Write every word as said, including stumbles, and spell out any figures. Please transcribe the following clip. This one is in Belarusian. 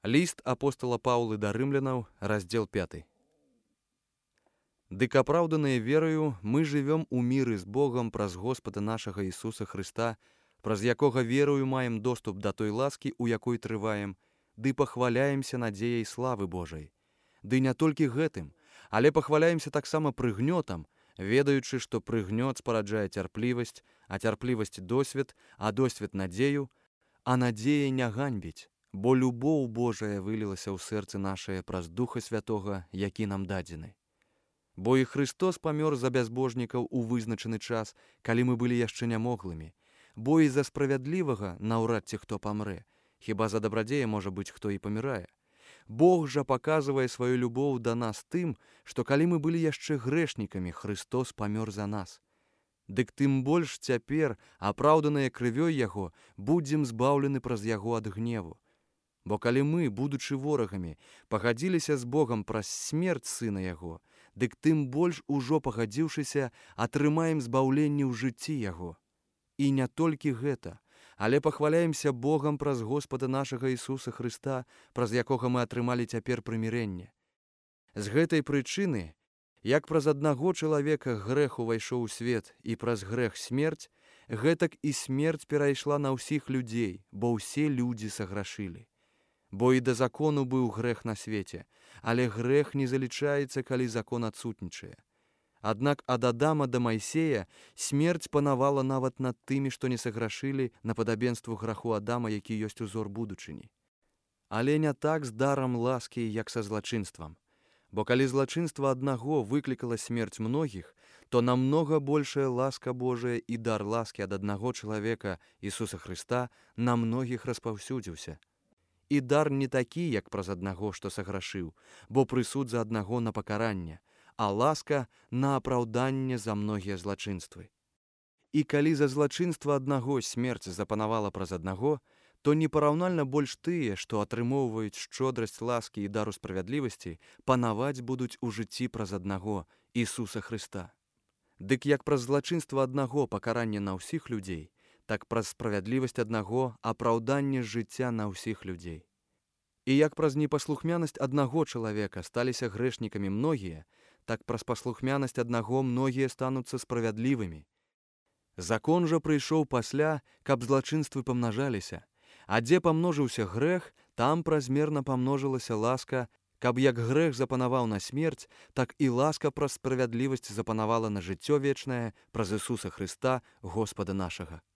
Ліст апостала Паўлы да рымлянаў, раздзел пяты. Дык апраўданыя верою мы жывём у міры з Богам праз Господа нашага Ісуса Хрыста, праз якога верою маем доступ да той ласкі, у якой трываем, ды пахваляемся надзеяй славы Божай. Ды не толькі гэтым, але пахваляемся таксама прыгнётам, ведаючы, што прыгнёт спараджае цярплівасць, а цярплівасць досвед, а досвед надзею, а надзея не ганьбіць, бо любоў Божая вылілася ў сэрцы нашае праз Духа Святога, які нам дадзены. Бо і Христос памёр за бязбожнікаў у вызначаны час, калі мы былі яшчэ нямоглымі, бо і за справядлівага наўрад ці хто памрэ, хіба за дабрадзея, можа быць, хто і памірае. Бог жа паказвае сваю любоў да нас тым, што калі мы былі яшчэ грэшнікамі, Христос памёр за нас. Дык тым больш цяпер, апраўданыя крывёй Яго, будзем збаўлены праз Яго ад гневу. Бо калі мы, будучы ворагамі, пагадзіліся з Богам праз смерць Сына Яго, дык тым больш ужо пагадзіўшыся, атрымаем збаўленне ў жыцці Яго. І не толькі гэта, але пахваляемся Богам праз Господа нашага Ісуса Хрыста, праз якога мы атрымалі цяпер прымірэнне. З гэтай прычыны, як праз аднаго чалавека грэх увайшоў у свет і праз грэх смерць, гэтак і смерць перайшла на ўсіх людзей, бо ўсе людзі саграшылі. Бо і да закону быў грэх на свеце, але грэх не залічаецца, калі закон адсутнічае. Аднак ад Адама да Майсея смерць панавала нават над тымі, што не саграшылі на падабенству граху Адама, які ёсць узор будучыні. Але не так з дарам ласкі, як са злачынствам. Бо калі злачынства аднаго выклікала смерць многіх, то намнога большая ласка Божая і дар ласкі ад аднаго чалавека, Ісуса Хрыста, на многіх распаўсюдзіўся. І дар не такі, як праз аднаго, што саграшыў, бо прысуд за аднаго на пакаранне, а ласка на апраўданне за многія злачынствы. І калі за злачынства аднаго смерць запанавала праз аднаго, то непараўнальна больш тыя, што атрымоўваюць шчодрасць ласкі і дару справядлівасці, панаваць будуць у жыцці праз аднаго, Ісуса Хрыста. Дык як праз злачынства аднаго пакаранне на ўсіх людзей, так праз справядлівасць аднаго апраўданне жыцця на ўсіх людзей. І як праз непаслухмянасць аднаго чалавека сталіся грэшнікамі многія, так праз паслухмянасць аднаго многія стануцца справядлівымі. Закон жа прыйшоў пасля, каб злачынствы памнажаліся, а дзе памножыўся грэх, там празмерна памножылася ласка, каб як грэх запанаваў на смерць, так і ласка праз справядлівасць запанавала на жыццё вечнае праз Ісуса Хрыста, Господа нашага.